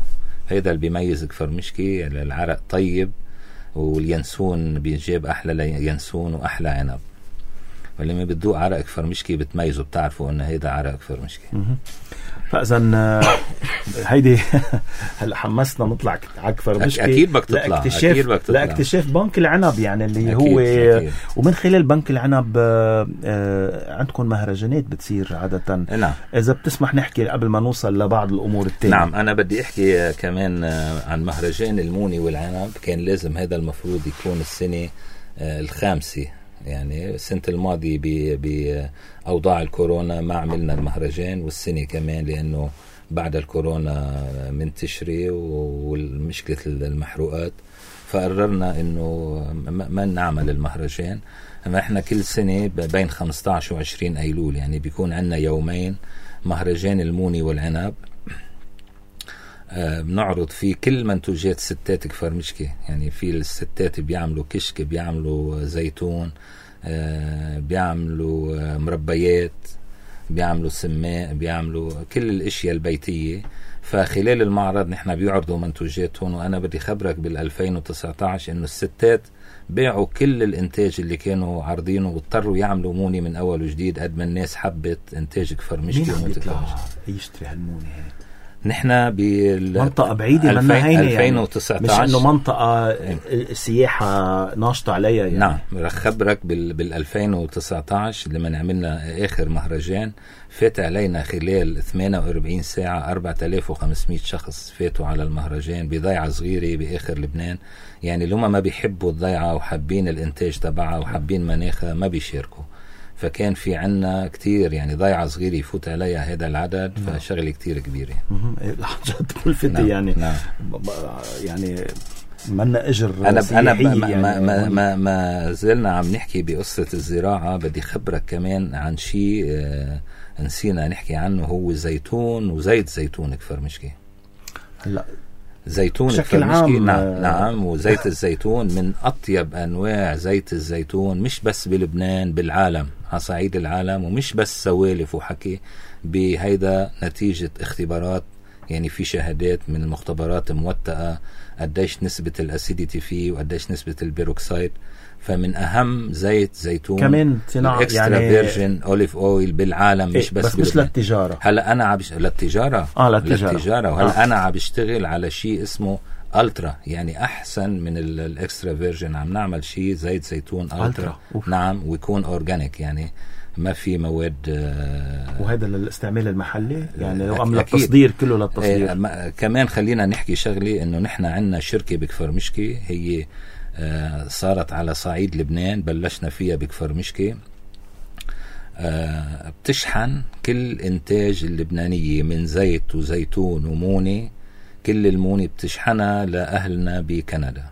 [SPEAKER 2] هيدا اللي بيميز كفرمشكي، العرق طيب واليانسون بيجيب أحلى ينسون وأحلى عنب. فلما بتدوق عرق كفرمشكي بتميزوا، بتعرفوا إن هيدا عرق كفرمشكي.
[SPEAKER 1] فإذا هيدي هلا حمسنا نطلع على كفرمشكي.
[SPEAKER 2] أكيد بدك تطلع، أكيد بدك تطلع
[SPEAKER 1] لاكتشاف بنك العنب يعني اللي
[SPEAKER 2] أكيد
[SPEAKER 1] هو
[SPEAKER 2] أكيد.
[SPEAKER 1] ومن خلال بنك العنب آه عندكم مهرجانات بتصير عادة.
[SPEAKER 2] نعم.
[SPEAKER 1] إذا بتسمح نحكي قبل ما نوصل لبعض الأمور التانية.
[SPEAKER 2] نعم أنا بدي أحكي كمان عن مهرجان الموني والعنب. كان لازم هذا المفروض يكون السنة الخامسة، يعني السنة الماضية بأوضاع الكورونا ما عملنا المهرجان، والسنة كمان لأنه بعد الكورونا منتشرة والمشكلة المحروقات، فقررنا إنه ما نعمل المهرجان. أما إحنا كل سنة بين خمسة عشر وعشرين أيلول يعني بيكون عنا يومين مهرجان الموني والعنب، آه بنعرض فيه كل منتوجات ستات كفرمشكي. يعني في الستات بيعملوا كشك، بيعملوا زيتون، آه بيعملوا آه مربيات، بيعملوا سماء، بيعملوا كل الاشياء البيتية. فخلال المعرض نحن بيعرضوا منتوجاتهم. وانا بدي خبرك بالألفين وتسعة عشر انه الستات بيعوا كل الانتاج اللي كانوا عارضينه واضطروا يعملوا موني من اول وجديد قد ما الناس حبت انتاج كفرمشكي.
[SPEAKER 1] مين عم يطلع يشتري هالموني هيك؟
[SPEAKER 2] نحن
[SPEAKER 1] بمنطقة بعيدة منا هيني
[SPEAKER 2] ألفين وتسعة عشر،
[SPEAKER 1] مش انه منطقة سياحة ناشطة عليها يعني.
[SPEAKER 2] نعم رح خبرك بال بال ألفين وتسعة عشر لما عملنا اخر مهرجان فات علينا خلال ثمانية وأربعين ساعة أربعة آلاف وخمسمية شخص فاتوا على المهرجان بضيعة صغيرة باخر لبنان. يعني لما ما بيحبوا الضيعة وحابين الانتاج تبعها وحابين مناخها ما بيشاركوا. فكان في عنا كتير يعني ضيعة صغيرة يفوت عليها هذا العدد. نعم. فشغلة كتير كبيرة.
[SPEAKER 1] لحظات ملفتة. نعم. يعني
[SPEAKER 2] نعم.
[SPEAKER 1] يعني منا اجر
[SPEAKER 2] انا انا ما,
[SPEAKER 1] يعني
[SPEAKER 2] ما, ما, ما, ما زلنا عم نحكي بقصة الزراعة. بدي خبرك كمان عن شيء آه نسينا نحكي عنه، هو زيتون وزيت زيتون كفرمشكي.
[SPEAKER 1] هلا
[SPEAKER 2] زيتون
[SPEAKER 1] بشكل عام.
[SPEAKER 2] نعم نعم وزيت الزيتون من أطيب أنواع زيت الزيتون، مش بس بلبنان، بالعالم، على صعيد العالم. ومش بس سوالف وحكي، بهيدا نتيجة اختبارات. يعني في شهادات من المختبرات موثقة قديش نسبة الأسيديتي فيه وقديش نسبة البيروكسيد. فمن أهم زيت زيتون
[SPEAKER 1] كمان صناعة
[SPEAKER 2] الاكسترا يعني فيرجن أوليف أويل بالعالم. مش
[SPEAKER 1] إيه
[SPEAKER 2] بس,
[SPEAKER 1] بس مش للتجارة.
[SPEAKER 2] هلا أنا عبش... للتجارة
[SPEAKER 1] آه للتجارة,
[SPEAKER 2] للتجارة. وهلا
[SPEAKER 1] آه.
[SPEAKER 2] أنا عم بشتغل على شيء اسمه ألترا، يعني أحسن من الاكسترا فيرجن. عم نعمل شيء زيت زيتون ألترا. نعم ويكون أورجانيك، يعني ما في مواد. آه
[SPEAKER 1] وهذا للاستعمال المحلي يعني لو عمل التصدير كله للتصدير.
[SPEAKER 2] آه كمان خلينا نحكي شغلي انه نحن عندنا شركة بكفرمشكي هي آه صارت على صعيد لبنان، بلشنا فيها بكفرمشكي. آه بتشحن كل انتاج اللبنانية من زيت وزيتون وموني. كل الموني بتشحنها لأهلنا بكندا.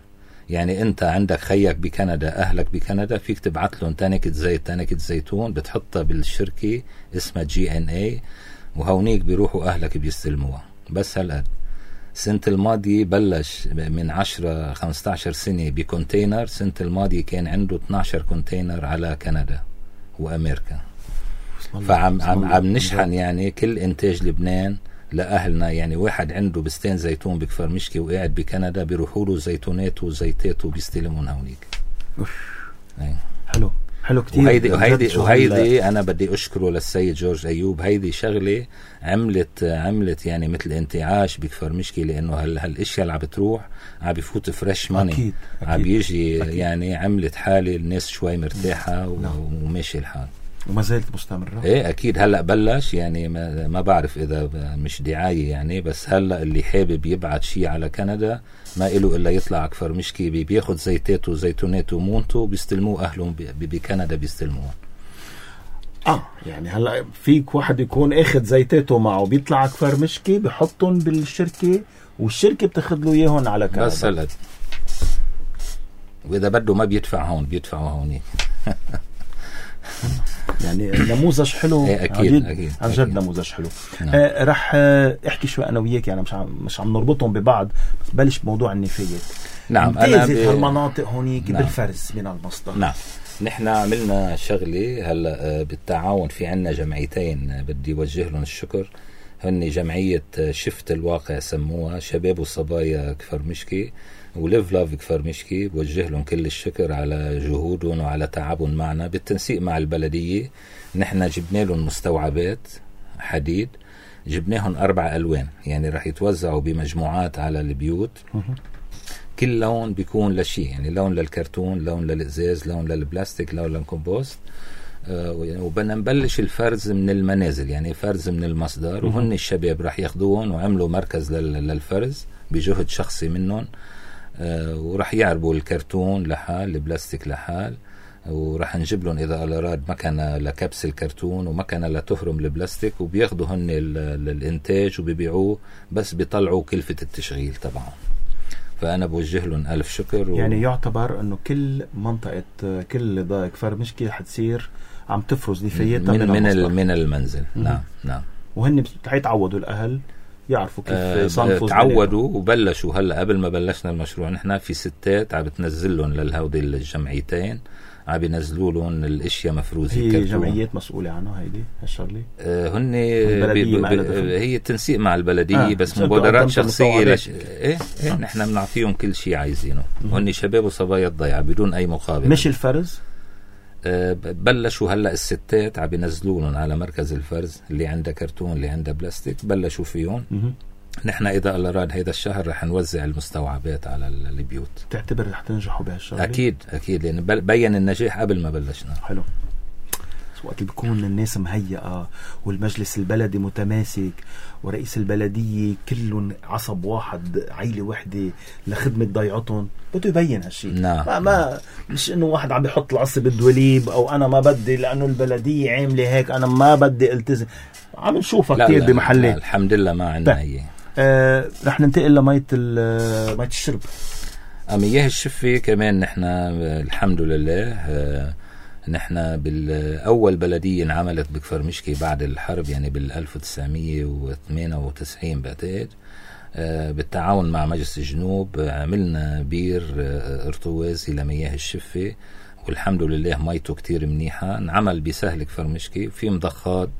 [SPEAKER 2] يعني انت عندك خيك بكندا، اهلك بكندا، فيك تبعت لهم تانكة زيت تانكة زيتون بتحطها بالشركة اسمها جي ان اي، وهونيك بيروحوا اهلك بيستلموها. بس هالقد. سنة الماضي بلش من عشرة خمسة عشر سنة بكونتينر. سنة الماضي كان عنده اثني عشر كونتينر على كندا وامريكا. فعم عم عم نشحن يعني كل انتاج لبنان لأهلنا. يعني واحد عنده بستين زيتون بكفرمشكي وقاعد بكندا بيروحوا له زيتونات وزيتات وبيستلمون هونيك.
[SPEAKER 1] حلو حلو كتير.
[SPEAKER 2] وهيدي وهيدي وهيدي انا بدي اشكره للسيد جورج ايوب. هيدي شغله عملت عملت يعني مثل انتعاش بكفرمشكي، لانه هال هالاشياء اللي عم بتروح عم بفوت فريش ماني، عم بيجي يعني عملت حالي الناس شوي مرتاحه وماشي الحال.
[SPEAKER 1] وما زالت مستمرة؟
[SPEAKER 2] ايه اكيد هلا بلش يعني ما, ما بعرف اذا مش دعاية يعني، بس هلا اللي حابب يبعت شيء على كندا ما إله الا يطلع اكفر مشكي بياخد زيتاته وزيتوناته ومونته بيستلموه اهلهم بكندا بيستلموه.
[SPEAKER 1] اه يعني هلا فيك واحد يكون اخذ زيتاته معه بيطلع اكفر مشكي بحطهم بالشركة والشركة بتاخد له اياهم على كندا
[SPEAKER 2] بس هلا، واذا بده ما بيدفع هون بيدفعوا هونيك.
[SPEAKER 1] يعني نموذج حلو.
[SPEAKER 2] ايه اكيد اكيد
[SPEAKER 1] عن جد نموذج حلو. نعم. آه رح آه احكي شوي انا وياك يعني مش عم مش عم نربطهم ببعض، بس بلش بموضوع النفايات.
[SPEAKER 2] نعم انا
[SPEAKER 1] ب... هالمناطق هونيك نعم. بالفرز من المصدر.
[SPEAKER 2] نعم نحن عملنا شغله هلا بالتعاون، في عنا جمعيتين بدي وجه لهم الشكر، هن جمعيه شفت الواقع سموها، شباب وصبايا كفر مشكي وليف لاف كفر مشكي، بوجه لهم كل الشكر على جهودهم وعلى تعبهم معنا بالتنسيق مع البلديه. نحن جبنا لهم مستوعبات حديد، جبناهم اربع الوان يعني رح يتوزعوا بمجموعات على البيوت، كل لون بيكون لشيء يعني لون للكرتون، لون للإزاز، لون للبلاستيك، لون للكومبوست. آه وبدنا نبلش الفرز من المنازل يعني فرز من المصدر، وهن الشباب رح ياخدوهم وعملوا مركز للفرز بجهد شخصي منهم. آه ورح يعربوا الكرتون لحال، البلاستيك لحال، ورح نجيب لهم إذا أراد مكنة لكبس الكرتون ومكنة لتفرم البلاستيك، وبياخدوا هن للإنتاج وبيبيعوه، بس بيطلعوا كلفة التشغيل طبعا. فأنا بوجه لهم ألف شكر. و... يعني
[SPEAKER 1] يعتبر أنه كل منطقة كل ضايق كفر مشكي حتصير عم تفرز نفاياتها
[SPEAKER 2] من,
[SPEAKER 1] من,
[SPEAKER 2] من, من المنزل. م- نعم نعم
[SPEAKER 1] وهن حيتعودوا الأهل يعرفوا كيف
[SPEAKER 2] آه
[SPEAKER 1] يصنفوا.
[SPEAKER 2] تعودوا وبلشوا هلا قبل ما بلشنا المشروع نحن في ستات عم بتنزل لهم للهودي الجمعيتين، عم بينزلوا لهم الاشياء مفروزه.
[SPEAKER 1] هي كرتون. جمعيات مسؤوله عنها هيدي هالشغله؟
[SPEAKER 2] آه هن بي بي هي تنسيق مع البلديه. آه. بس مبادرات شخصيه لش... ايه, إيه آه. نحن بنعطيهم كل شيء عايزينه. هن شباب وصبايا الضيعه بدون اي مقابل.
[SPEAKER 1] مش الفرز
[SPEAKER 2] آه بلشوا هلا الستات عم بينزلوا لهم على مركز الفرز، اللي عنده كرتون اللي عنده بلاستيك بلشوا فيهم. م- نحن إذا الله راد هيدا الشهر رح نوزع المستوعبات على البيوت.
[SPEAKER 1] تعتبر رح تنجحوا بهالشغله؟
[SPEAKER 2] أكيد أكيد لأن بيّن النجاح قبل ما بلشنا.
[SPEAKER 1] حلو. وقت اللي بيكون الناس مهيئة والمجلس البلدي متماسك ورئيس البلدية كلهم عصب واحد عيلة وحدة لخدمة ضيعتهم، بده يبين هالشيء.
[SPEAKER 2] نعم.
[SPEAKER 1] ما, ما مش إنه واحد عم بيحط العصب بالدوليب أو أنا ما بدي لأنه البلدية عاملة هيك أنا ما بدي التزم. عم نشوفها كتير بمحلات.
[SPEAKER 2] الحمد لله ما عندنا هي.
[SPEAKER 1] آه رح ننتقل لمية مية الشرب.
[SPEAKER 2] مياه الشفة كمان نحن الحمد لله. آه نحن بالأول بلدية انعملت بكفر مشكي بعد الحرب يعني بالألف وتسعمية وثمانية وتسعين بعتقد. آه بالتعاون مع مجلس الجنوب عملنا بير آه ارتوازي لمياه الشفة، والحمد لله ميته كتير منيحة. انعمل بسهل كفر مشكي، في مضخات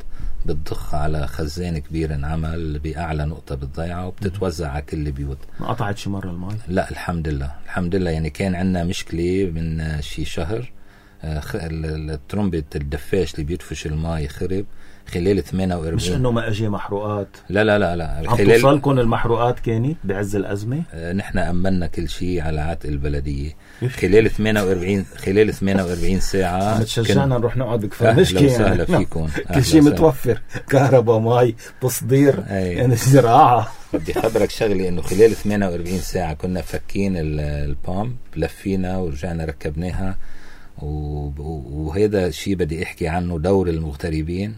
[SPEAKER 2] بتضخ على خزان كبير انعمل بأعلى نقطة بالضيعة وبتتوزع على كل البيوت.
[SPEAKER 1] ما قطعت شي مرة المي؟ لا
[SPEAKER 2] الحمد لله الحمد لله. يعني كان عندنا مشكلة من شي شهر، الترمبة الدفاش اللي بيدفش الماء خرب خلال ثمانية وأربعين.
[SPEAKER 1] مش انه ما اجي محروقات؟
[SPEAKER 2] لا لا لا لا.
[SPEAKER 1] عم توصلكم المحروقات كانت بعز الازمه؟
[SPEAKER 2] آه نحن امنا كل شيء على عاتق البلديه خلال ثمانية وأربعين خلال ثمانية وأربعين ساعه.
[SPEAKER 1] عم تشجعنا نروح نقعد بكفر مشكي
[SPEAKER 2] يعني. اهلا فيكم.
[SPEAKER 1] كل شيء متوفر، كهرباء مي تصدير يعني زراعه.
[SPEAKER 2] بدي خبرك شغله انه خلال ثمانية وأربعين ساعه كنا فكين البامب لفينا ورجعنا ركبناها. وهذا الشيء بدي احكي عنه دور المغتربين،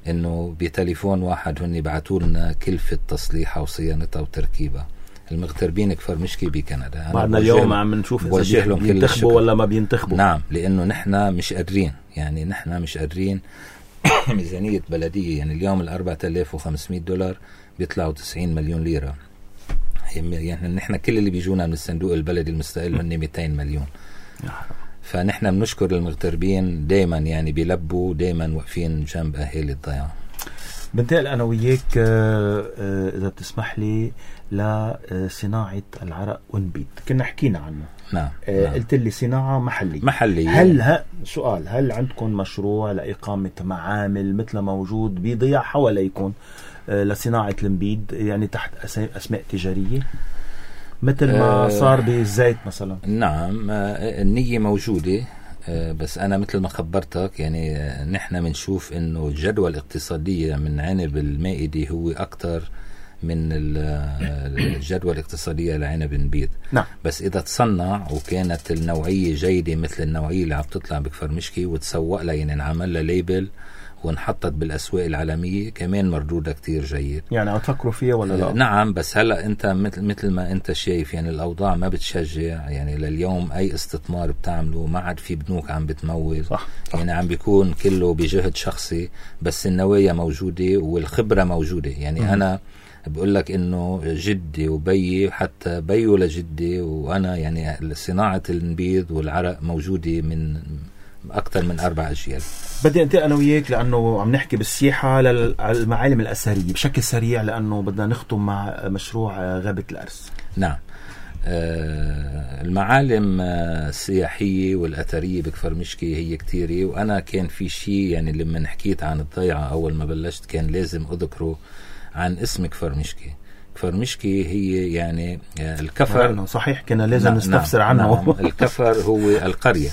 [SPEAKER 2] انه بتليفون واحد هن بعتوا لنا كلفة تصليحها وصيانتها وتركيبها. المغتربين كفر مشكي بكندا
[SPEAKER 1] بعدنا اليوم عم نشوف اذا بينتخبوا ولا ما بينتخبوا.
[SPEAKER 2] نعم لانه نحن مش قادرين يعني نحن مش قادرين ميزانية بلدية يعني اليوم الأربعة آلاف وخمسمية دولار بيطلعوا تسعين مليون ليرة. يعني نحن كل اللي بيجونا من الصندوق البلدي المستقل هن مئتين مليون. فنحن بنشكر المغتربين دايما يعني بيلبوا دايما واقفين جنب أهالي الضيعة.
[SPEAKER 1] بنتقل أنا وياك إذا بتسمح لي لصناعة العرق ونبيت، كنا حكينا عنه.
[SPEAKER 2] نعم.
[SPEAKER 1] آه
[SPEAKER 2] نعم.
[SPEAKER 1] قلت لي صناعة محلية.
[SPEAKER 2] محلية.
[SPEAKER 1] هل ه... سؤال هل عندكم مشروع لإقامة معامل مثل موجود بضيع حواليكم آه لصناعة النبيد يعني تحت أسماء تجارية مثل ما صار بالزيت مثلا؟
[SPEAKER 2] نعم النية موجودة. بس أنا مثل ما خبرتك يعني نحن بنشوف إنه الجدوى الاقتصادية من عنب المائدي هو أكتر من الجدوى الاقتصادية لعنب نبيض.
[SPEAKER 1] نعم.
[SPEAKER 2] بس إذا تصنع وكانت النوعية جيدة مثل النوعية اللي عم تطلع بكفر مشكي وتسوق لها يعني نعمل لها ليبل وانحطت بالأسواق العالمية كمان مردودها كتير جيد.
[SPEAKER 1] يعني عم تفكروا فيها ولا لا؟
[SPEAKER 2] آه نعم. بس هلأ أنت مثل, مثل ما أنت شايف يعني الأوضاع ما بتشجع. يعني لليوم أي استثمار بتعمله ما عاد في بنوك عم بتمول.
[SPEAKER 1] صح. صح.
[SPEAKER 2] يعني عم بيكون كله بجهد شخصي بس النوايا موجودة والخبرة موجودة. يعني م- أنا بقول لك إنه جدي وبيي حتى بيو لجدي وأنا يعني صناعة النبيض والعرق موجودة من أكثر من أربع أجيال.
[SPEAKER 1] بدي أنت أنا وياك لأنه عم نحكي بالسياحة على المعالم الأثرية بشكل سريع لأنه بدنا نختم مع مشروع غابة الأرز.
[SPEAKER 2] نعم. آه المعالم السياحية والأثرية بكفر مشكي هي كتيرة. وأنا كان في شيء يعني لما حكيت عن الضيعة أول ما بلشت كان لازم أذكره عن اسم كفر مشكي. كفر مشكي هي يعني الكفر.
[SPEAKER 1] صحيح كنا لازم نعم نستفسر عنه.
[SPEAKER 2] نعم. الكفر هو القرية.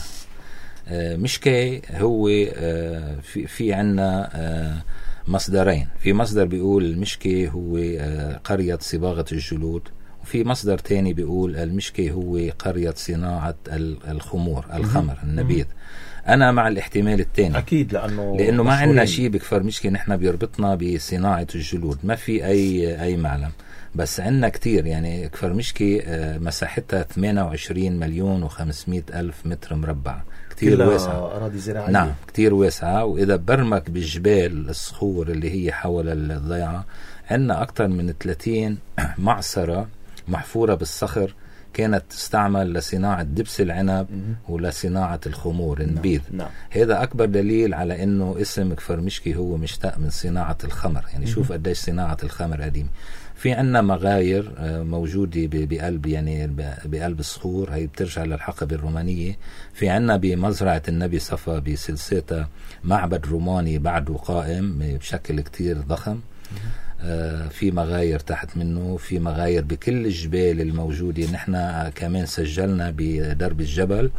[SPEAKER 2] آه مشكي هو آه في, في عنا آه مصدرين. في مصدر بيقول المشكي هو آه قرية صباغة الجلود وفي مصدر تاني بيقول المشكي هو قرية صناعة الخمور الخمر النبيذ. أنا مع الاحتمال الثاني
[SPEAKER 1] أكيد لأنه
[SPEAKER 2] لأنه ما عندنا شيء بكفر مشكي نحن بيربطنا بصناعة الجلود ما في أي أي معلم. بس عندنا كتير يعني كفر مشكي مساحتها ثمانية وعشرين مليون وخمسمائة ألف متر مربع كتير واسعة.
[SPEAKER 1] أراضي زراعية.
[SPEAKER 2] نعم كتير واسعة. وإذا برمك بالجبال الصخور اللي هي حول الضيعة عندنا أكتر من ثلاثين معصرة محفورة بالصخر كانت تستعمل لصناعة دبس العنب ولصناعة الخمور النبيذ.
[SPEAKER 1] نعم.
[SPEAKER 2] هذا أكبر دليل على أنه اسم كفر مشكي هو مشتق من صناعة الخمر. يعني شوف قديش صناعة الخمر قديمة. في عنا مغاير موجودة بقلب يعني بقلب الصخور هي بترجع للحقبة الرومانية. في عنا بمزرعة النبي صفا بسلسلة معبد روماني بعده قائم بشكل كتير ضخم. آه في مغاير تحت منه. في مغاير بكل الجبال الموجودة. نحن كمان سجلنا بدرب الجبل.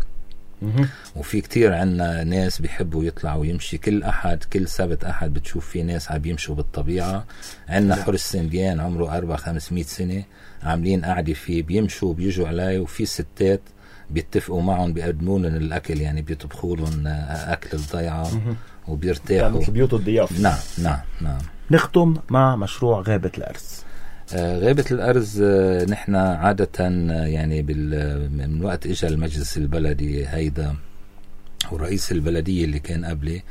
[SPEAKER 2] وفي كتير عنا ناس بيحبوا يطلعوا يمشي كل أحد كل سبت أحد بتشوف في ناس عم يمشوا بالطبيعة. عنا حرس سنديان عمره أربع خمسمائة سنة عاملين قاعدة فيه بيمشوا بيجوا عليه. وفي ستات بيتفقوا معهم بيقدموا لهم الأكل يعني بيطبخوا لهم أكل الضيعة وبيرتاحوا
[SPEAKER 1] مثل بيوت الضيافة.
[SPEAKER 2] نعم نعم نعم.
[SPEAKER 1] نختم مع مشروع غابة الأرز.
[SPEAKER 2] آه غابة الأرز آه نحن عادة آه يعني من وقت إجا المجلس البلدي هيدا ورئيس البلدية اللي كان قبلي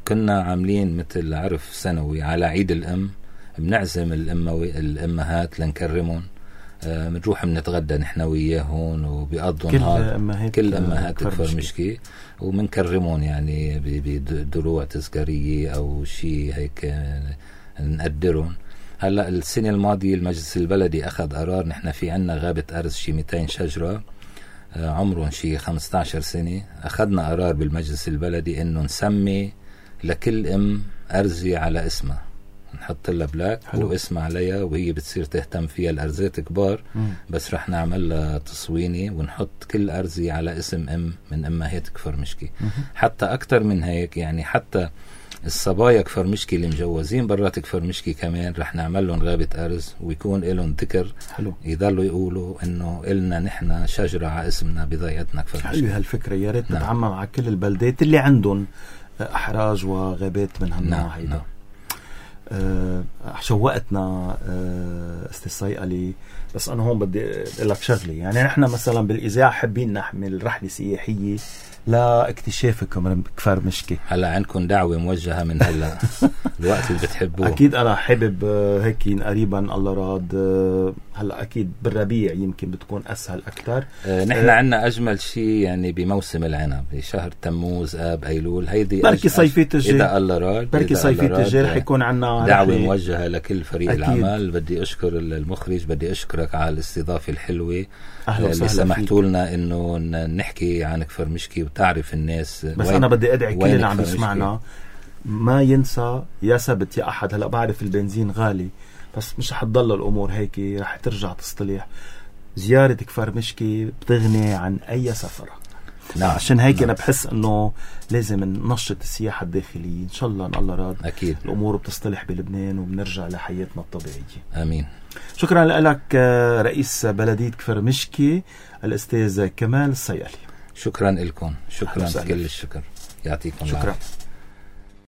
[SPEAKER 2] كنا عاملين مثل عرف سنوي على عيد الأم بنعزم الأموي الأمهات لنكرمهم. آه بنروح بنتغدى نحن وياهن وبيقضوا نهار كل أمهات كفر مشكي وبنكرمهم يعني بدروع تذكارية أو شيء هيك نقدرهم. هلا السنة الماضية المجلس البلدي أخذ قرار نحن في عنا غابة أرز شي مئتين شجرة آه عمرهم شي خمسة عشر سنة. أخذنا قرار بالمجلس البلدي إنه نسمي لكل أم أرزي على اسمها نحط لها بلاك واسم عليها وهي بتصير تهتم فيها. الأرزات كبار مم. بس رح نعمل لها تصويني ونحط كل أرزي على اسم أم من أمهات كفر مشكي. مم. حتى أكتر من هيك يعني حتى الصبايا كفر مشكي اللي مجوزين برات كفر مشكي كمان رح نعمل لهم غابة أرز ويكون لهم ذكر. حلو. يضلوا يقولوا إنه إلنا نحن شجرة على اسمنا بضيعتنا كفر مشكي.
[SPEAKER 1] حلو هالفكرة. يا ريت نعم. نتعمم على كل البلدات اللي عندهم أحراج وغابات من هالنوع هيدا. نعم. أه شوقتنا أه استاذ صيقلي. بس أنا هون بدي أقول لك شغلة. يعني نحن مثلا بالإذاعة حابين نحمل رحلة سياحية لاكتشافكم كفر مشكي.
[SPEAKER 2] هلا عندكم دعوة موجهة من هلا الوقت اللي بتحبوه.
[SPEAKER 1] أكيد أنا حابب هيك قريبا الله راد. هلا أكيد بالربيع يمكن بتكون أسهل أكتر.
[SPEAKER 2] أه نحن أه عنا أجمل شيء يعني بموسم العنب بشهر تموز آب أيلول. هيدي
[SPEAKER 1] بركي صيفية الجاي
[SPEAKER 2] إذا الله راد
[SPEAKER 1] بركي صيفية الجاي رح يكون عنا
[SPEAKER 2] دعوة موجهة لكل فريق أكيد. العمل. بدي أشكر المخرج بدي أشكرك على الاستضافة الحلوة اللي سمحتوا لنا إنه نحكي عن كفر مشكي وتعرف الناس.
[SPEAKER 1] بس أنا بدي أدعي كل اللي عم يسمعنا ما ينسى يا سبت يا أحد. هلأ بعرف البنزين غالي بس مش حتضل الأمور هيك رح ترجع تصطلح. زيارة كفر مشكي بتغني عن أي سفرة.
[SPEAKER 2] نعم.
[SPEAKER 1] عشان هيك
[SPEAKER 2] نعم.
[SPEAKER 1] أنا بحس أنه لازم ننشط السياحة الداخلية. إن شاء الله إن الله راد
[SPEAKER 2] أكيد
[SPEAKER 1] الأمور بتصطلح بلبنان وبنرجع لحياتنا الطبيعية.
[SPEAKER 2] آمين.
[SPEAKER 1] شكرا لك رئيس بلدية كفر مشكي الأستاذ كمال الصيالي.
[SPEAKER 2] شكرا لكم، شكرا كل الشكر، يعطيكم
[SPEAKER 1] شكرا
[SPEAKER 2] العافية.